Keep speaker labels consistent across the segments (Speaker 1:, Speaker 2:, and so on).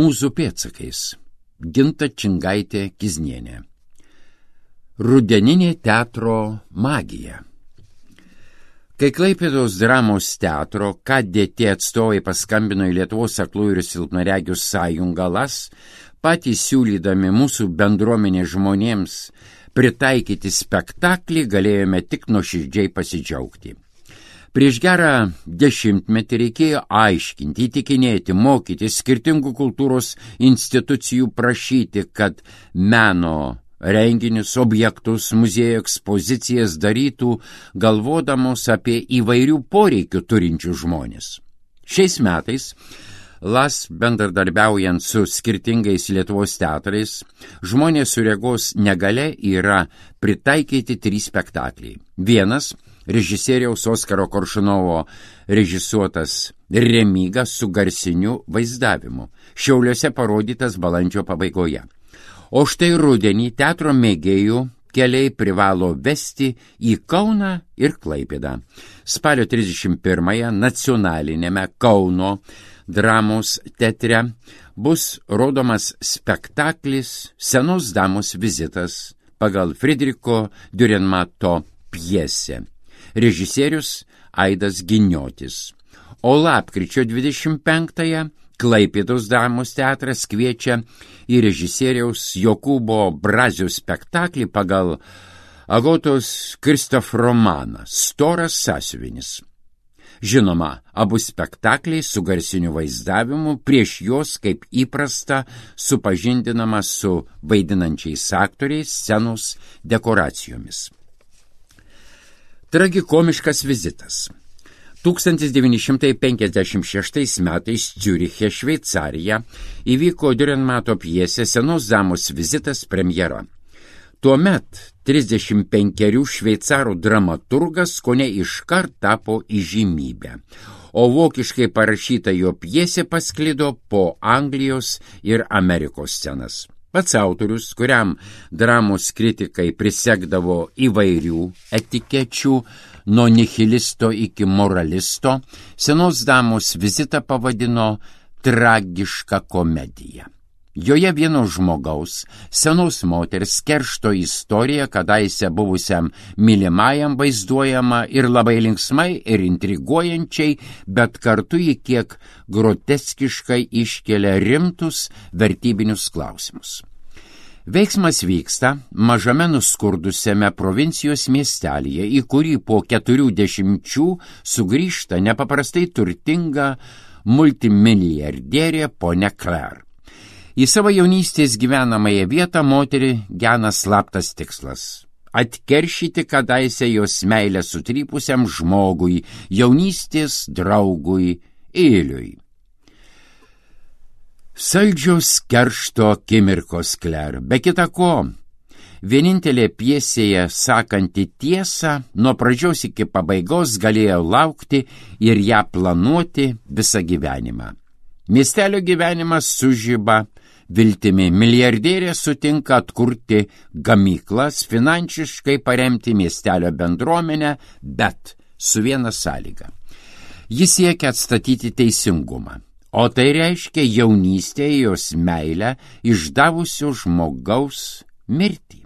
Speaker 1: Mūzų pėdsakais. Ginta Čingaitė Kiznienė. Rudeninė teatro magija. Kai Klaipėdos dramos teatro KDT atstovai paskambino į Lietuvos aklųjų ir silpnaregių sąjungą LAS, patys siūlydami mūsų bendruomenės žmonėms pritaikyti spektaklį, galėjome tik nuoširdžiai pasidžiaugti. Prieš gerą 10 metų reikėjo aiškinti, įtikinėti, mokyti skirtingų kultūros institucijų prašyti, kad meno renginius, objektus, muziejų ekspozicijas darytų, galvodamos apie įvairių poreikių turinčių žmonės. Šiais metais LAS bendradarbiaujant su skirtingais Lietuvos teatrais, žmonės su regos negalia yra pritaikyti 3 spektakliai. Vienas režisieriaus Oskaro Koršunovo režisuotas Remyga su garsiniu vaizdavimu. Šiauliuose parodytas balandžio pabaigoje. O štai rudenį teatro mėgėjų keliai privalo vesti į Kauną ir Klaipėdą. Spalio 31-ąją nacionalinėme Kauno dramos teatre bus rodomas spektaklis Senos damos vizitas pagal Friedricho Dürrenmato pjesę. Režisierius Aidas Giniotis. O lapkričio 25-ąją Klaipėdos dramos teatras kviečia į režisieriaus Jokūbo Brazio spektaklį pagal Agotos Kristof romaną Storas sąsiuvinis. Žinoma, abu spektakliai su garsiniu vaizdavimu, prieš juos, kaip įprasta, supažindinama su vaidinančiais aktoriais, scenos dekoracijomis. Tragikomiškas vizitas. 1956 metais Ciuriche, Šveicarija, įvyko Dürrenmato pjesė Senos damos vizitas premjera. Tuomet 35 šveicarų dramaturgas kone iškart tapo įžymybė, o vokiškai parašyta jo pjesė pasklido po Anglijos ir Amerikos scenas. Pats autorius, kuriam dramos kritikai prisegdavo įvairių etikečių, nuo nihilisto iki moralisto, Senos damos vizitą pavadino tragiška komedija. Joje vieno žmogaus, senos moters keršto istorija, kadaise buvusiam mylimajam vaizduojama ir labai linksmai ir intriguojančiai, bet kartu į kiek groteskiškai iškelia rimtus vertybinius klausimus. Veiksmas vyksta mažame nuskurdusiame provincijos miestelyje, į kurį po 40 sugrįžta nepaprastai turtinga multimilijardierė ponia Claire. Į savo jaunystės gyvenamąją vietą moterį gena slaptas tikslas – atkeršyti kadaise jos meilę sutrypusiam žmogui, jaunystės draugui Iliui. Saldžios keršto akimirkos Claire, be kita ko, vienintelė pjesėje sakanti tiesą, nuo pradžios iki pabaigos galėjo laukti ir ją planuoti visą gyvenimą. Miestelio gyvenimas sužiba viltimi. Milijardierė sutinka atkurti gamyklas, finansiškai paremti miestelio bendruomenę, bet su viena sąlyga. Jis siekia atstatyti teisingumą. O tai reiškia jaunystėje jos meilę išdavusio žmogaus mirtį.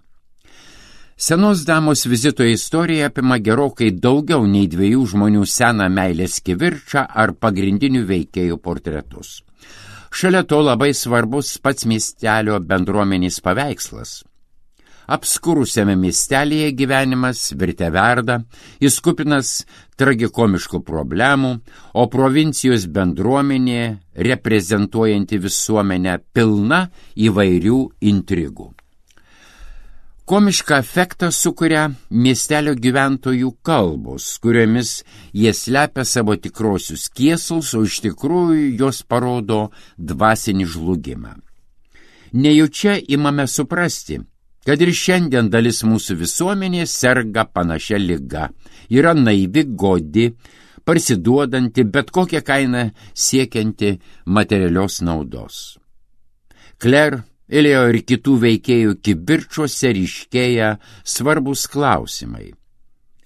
Speaker 1: Senos damos vizito istorija apima gerokai daugiau nei 2 žmonių seną meilės kivirčą ar pagrindinių veikėjų portretus. Šalia to labai svarbus pats miestelio bendruomenės paveikslas. Apskurusiame miestelėje gyvenimas virte verda, jis kupinas tragikomiškų problemų, o provincijos bendruomenė, reprezentuojanti visuomenę, pilna įvairių intrigų. Komišką efektą sukuria miestelio gyventojų kalbos, kuriomis jie slepia savo tikrosius kėslus, o iš tikrųjų jos parodo dvasinį žlugimą. Nejučia imame suprasti, kad ir šiandien dalis mūsų visuomenės serga panašia liga, yra naivi, godi, parsiduodanti, bet kokią kainą siekianti materialios naudos. Claire, Ilio ir kitų veikėjų kivirčuose ryškėja svarbus klausimai.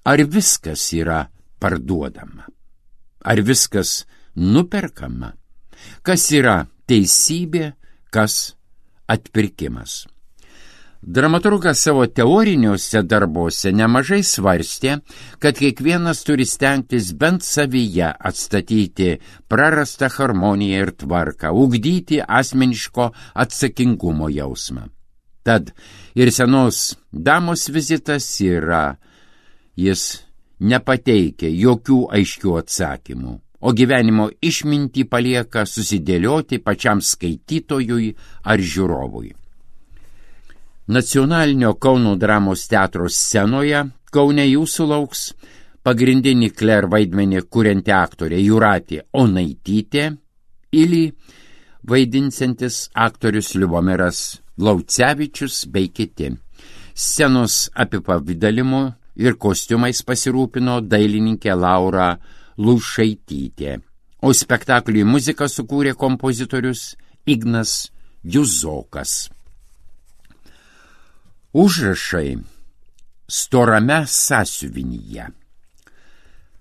Speaker 1: Ar viskas yra parduodama? Ar viskas nuperkama? Kas yra teisybė kas atpirkimas. Dramaturgas savo teoriniuose darbuose nemažai svarstė, kad kiekvienas turi stengtis bent savyje atstatyti prarastą harmoniją ir tvarką, ugdyti asmeniško atsakingumo jausmą. Tad ir senos damos vizitas yra, jis nepateikia jokių aiškių atsakymų, o gyvenimo išmintį palieka susidėlioti pačiam skaitytojui ar žiūrovui. Nacionalinio Kauno dramos teatro scenoje Kaune jūsų lauks pagrindinį Kler vaidmenį kurianti aktorė Jūratė Onaitytė, Ilį vaidinsiantis aktorius Liubomiras Laucevičius bei kiti. Scenos apipavidalimu ir kostiumais pasirūpino dailininkė Laura Lušaitytė, o spektakliui muziką sukūrė kompozitorius Ignas Juzokas. Užrašai storame sąsiuvinyje.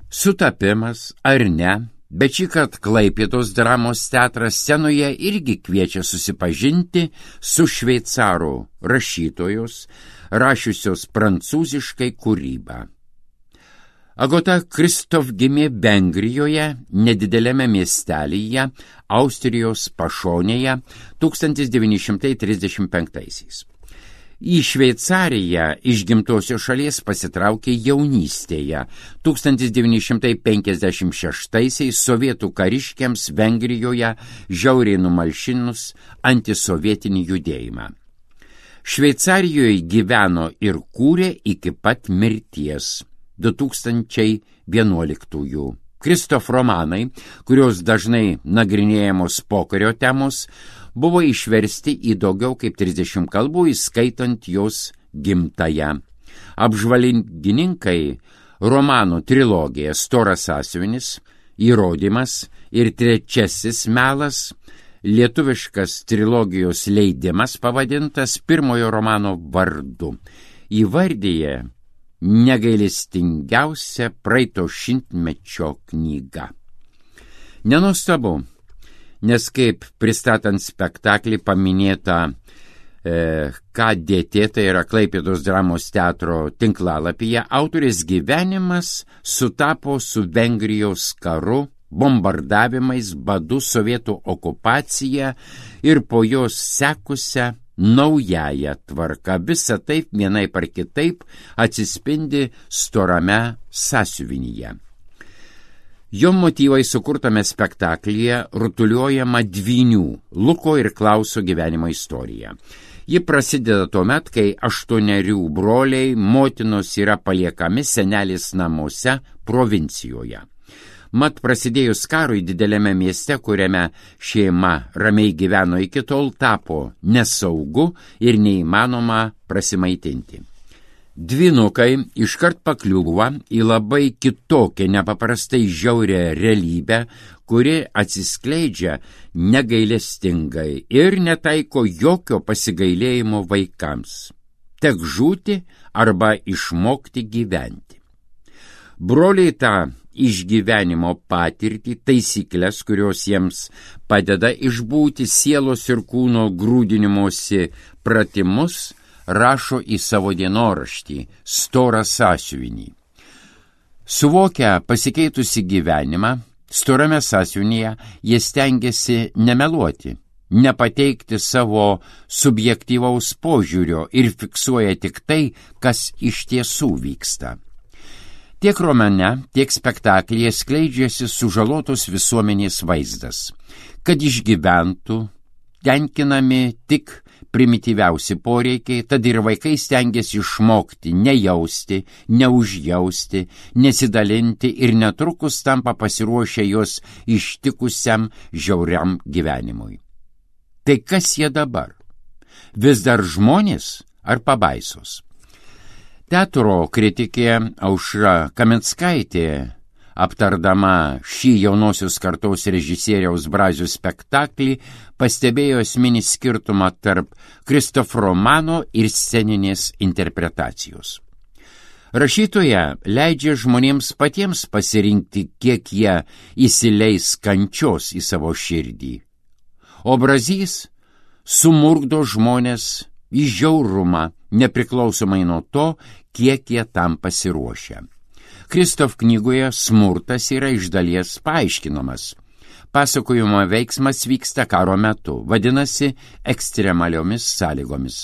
Speaker 1: Sutapimas ar ne, bet šįkart Klaipėdos dramos teatras scenoje irgi kviečia susipažinti su šveicarų rašytojos, rašiusios prancūziškai kūrybą. Agota Kristof gimė Vengrijoje, nedidelėme miestelyje, Austrijos pašonėje 1935-aisiais. Į Šveicariją iš gimtosios šalies pasitraukė jaunystėje. 1956-aisiais sovietų kariškiams Vengrijoje žiauriai numalšinus antisovietinį judėjimą. Šveicarijoje gyveno ir kūrė iki pat mirties 2011-ųjų. Kristof romanai, kurios dažnai nagrinėjamos pokario temos, buvo išversti į daugiau kaip 30 kalbų, įskaitant jos gimtąją. Apžvalgininkai romanų trilogiją Storas sąsiuvinis, Įrodymas ir Trečiasis melas, lietuviškas trilogijos leidimas pavadintas pirmojo romano vardu, įvardyje negailestingiausia praeito šimtmečio knyga. Nenuostabu, nes kaip pristatant spektaklį paminėta KDT, tai yra Klaipėdos dramos teatro tinklalapyje, autorės gyvenimas sutapo su Vengrijos karu, bombardavimais, badu, sovietų okupacija ir po jos sekusią naująją tvarką. Visa taip vienaip ar kitaip atsispindi storame sąsiuvinyje. Jo motyvai sukurtame spektaklyje rutuliuojama dvynių Luko ir Klauso gyvenimo istorija. Ji prasideda tuomet, kai 8 broliai motinos yra paliekami senelės namuose provincijoje. Mat prasidėjus karui didelėme mieste, kuriame šeima ramiai gyveno iki tol, tapo nesaugu ir neįmanoma prasimaitinti. Dvynukai iškart pakliūva į labai kitokią, nepaprastai žiaurią realybę, kuri atsiskleidžia negailestingai ir netaiko jokio pasigailėjimo vaikams. Tek žūti arba išmokti gyventi. Broliai tą išgyvenimo patirtį, taisyklės, kurios jiems padeda išbūti sielos ir kūno grūdinimosi pratimus, rašo į savo dienoraštį Storą sąsiuvinį. Suvokę pasikeitusi gyvenimą, storame sąsiuvinyje jie stengiasi nemeluoti, nepateikti savo subjektyvaus požiūrio ir fiksuoja tik tai, kas iš tiesų vyksta. Tiek romane, tiek spektaklyje skleidžiasi sužalotos visuomenės vaizdas, kad išgyventų, tenkinami tik primityviausi poreikiai, tad ir vaikai stengiasi išmokti nejausti, neužjausti, nesidalinti ir netrukus tampa pasiruošę jos ištikusiam žiauriam gyvenimui. Tai kas jie dabar? Vis dar žmonės ar pabaisos? Teatro kritikė Aušra Kaminskaitė, aptardama šį jaunosios kartos režisieriaus Brazio spektaklį, pastebėjo esminį skirtumą tarp Kristof romano ir sceninės interpretacijos. Rašytoja leidžia žmonėms patiems pasirinkti, kiek jie įsileis kančios į savo širdį. O Brazys sumurgdo žmonės į žiaurumą, nepriklausomai nuo to, kiek jie tam pasiruošia. Kristof knygoje smurtas yra iš dalies paaiškinamas. Pasakojimo veiksmas vyksta karo metu, vadinasi ekstremaliomis sąlygomis.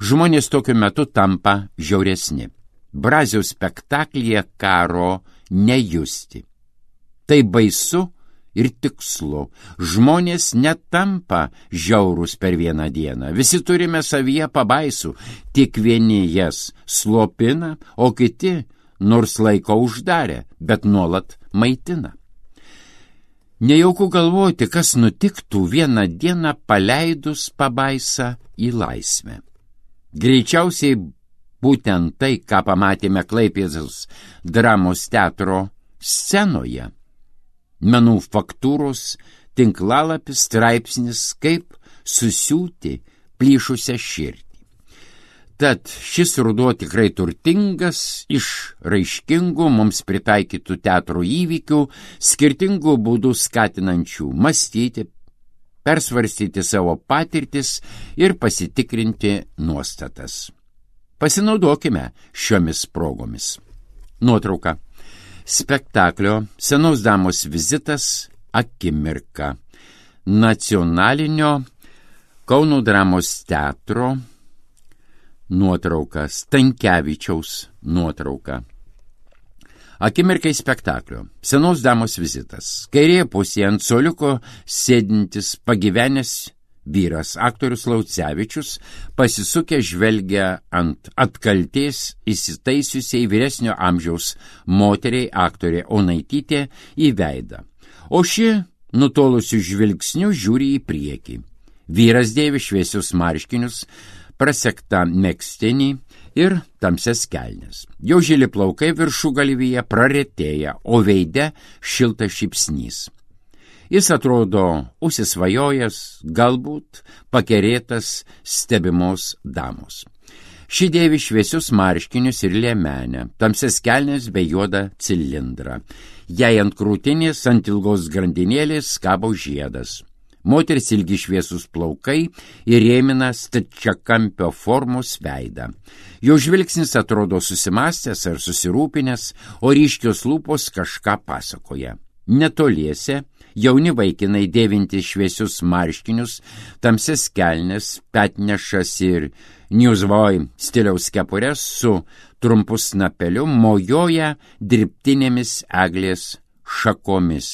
Speaker 1: Žmonės tokiu metu tampa žiauresni. Braziaus spektaklyje karo nejusti. Tai baisu ir tikslu. Žmonės netampa žiaurūs per vieną dieną. Visi turime savyje pabaisų, tik vieni jas slopina, o kiti nors laiko uždarė, bet nuolat maitina. Nejauku galvoti, kas nutiktų vieną dieną paleidus pabaisą į laisvę. Greičiausiai būtent tai, ką pamatėme Klaipėdos dramos teatro scenoje. Menų faktūros, tinklalapis, straipsnis, kaip susiūti plyšusią širdį. Tad šis ruduo tikrai turtingas iš raiškingų mums pritaikytų teatro įvykių, skirtingų būdų skatinančių mąstyti, persvarstyti savo patirtis ir pasitikrinti nuostatas. Pasinaudokime šiomis progomis. Nuotrauka. Spektaklio Senos damos vizitas akimirka. Nacionalinio Kauno dramos teatro nuotrauka, Stankevičiaus nuotrauka. Akimirkai spektaklio. Senos damos vizitas. Kairėje pusėje ant suoliuko sėdintis pagyvenęs vyras, aktorius Laucevičius, pasisukę žvelgia ant atkaltės įsitaisiusiai vyresnio amžiaus moteriai aktorė Onaitytė į veidą. O ši nutolusių žvilgsnių žiūri į priekį. Vyras dėvi šviesius marškinius, prasektą megztinį ir tamsias kelnes. Jo žili plaukai viršugalvyje praretėja, o veide šiltas šypsnys. Jis atrodo užsisvajojęs, galbūt pakerėtas stebimos damos. Ši dėvi šviesius marškinius ir liemenę, tamsias kelnes bei juodą cilindrą. Jai ant krūtinės ant ilgos grandinėlės kabo žiedas. Moteris ilgi šviesus plaukai įrėmina stačiakampio formos veidą. Jo žvilgsnis atrodo susimastęs ar susirūpinęs, o ryškios lūpos kažką pasakoja. Netoliese jauni vaikinai dėvinti šviesius marškinius, tamsias kelnes, petnešas ir newsboy stiliaus kepures su trumpu snapeliu mojoja dirbtinėmis eglės šakomis.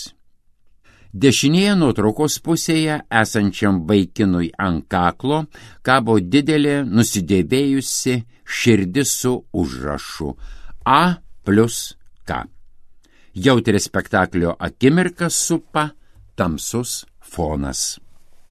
Speaker 1: Dešinėje nuotraukos pusėje esančiam vaikinui ant kaklo kabo didelė nusidėvėjusi širdis su užrašu A+K. Jautrį spektaklio akimirką supa tamsus fonas.